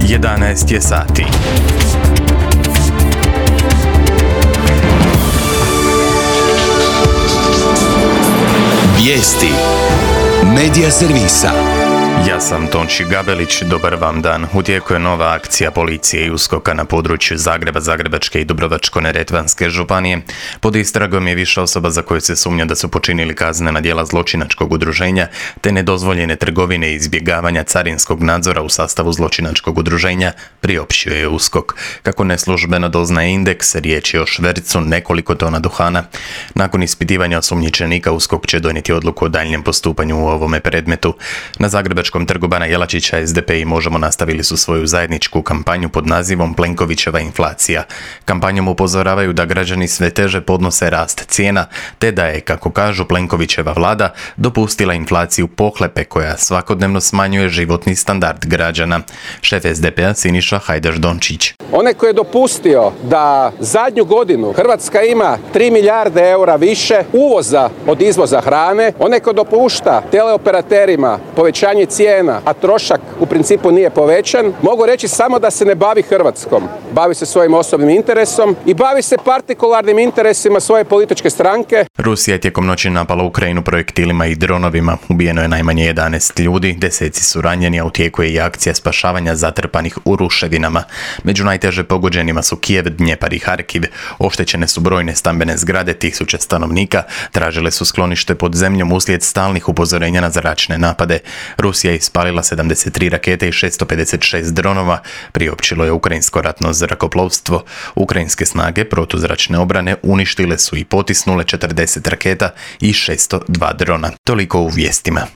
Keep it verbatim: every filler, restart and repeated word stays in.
jedanaest je sati. Vijesti Medija servisa. Ja sam Tonči Gabelić, dobar vam dan. U tijeku je nova akcija policije i uskoka na području Zagreba, Zagrebačke i Dubrovačko-neretvanske županije. Pod istragom je više osoba za koje se sumnja da su počinili kaznena djela zločinačkog udruženja te nedozvoljene trgovine i izbjegavanja carinskog nadzora u sastavu zločinačkog udruženja, priopćio je uskok. Kako neslužbeno doznaje Indeks, riječ je o švercu nekoliko tona duhana. Nakon ispitivanja osumnjičenika, uskok će donijeti odluku o daljnjem postupanju u ovome predmetu. Na Zagrebačkom trgu Bana Jelačića es de pe i Možemo nastavili su svoju zajedničku kampanju pod nazivom Plenkovićeva inflacija. Kampanjom upozoravaju da građani sve teže podnose rast cijena, te da je, kako kažu, Plenkovićeva vlada dopustila inflaciju pohlepe koja svakodnevno smanjuje životni standard građana. Šef es de pe-a Siniša Hajdaš Dončić. Onaj koji je dopustio da zadnju godinu Hrvatska ima tri milijarde eura više uvoza od izvoza hrane, onaj koji dopušta teleoperaterima povećanje cijena, a trošak u principu nije povećan, mogu reći samo da se ne bavi Hrvatskom. Bavi se svojim osobnim interesom i bavi se partikularnim interesima svoje političke stranke. Rusija je tijekom noći napala Ukrajinu projektilima i dronovima. Ubijeno je najmanje jedanaest ljudi, deseci su ranjeni, a u tijeku je i akcija spašavanja zatrpanih u ruševinama. Među najteže pogođenima su Kijev, Dnjepar i Harkiv. Oštećene su brojne stambene zgrade, tisuće stanovnika tražile su sklonište pod zemljom uslijed stalnih upozorenja na zračne napade. Rusija je ispalila sedamdeset tri rakete i šesto pedeset šest dronova, priopćilo je ukrajinsko ratno zrakoplovstvo. Ukrajinske snage protuzračne obrane uništile su i potisnule četrdeset raketa i šesto dva drona. Toliko u vijestima.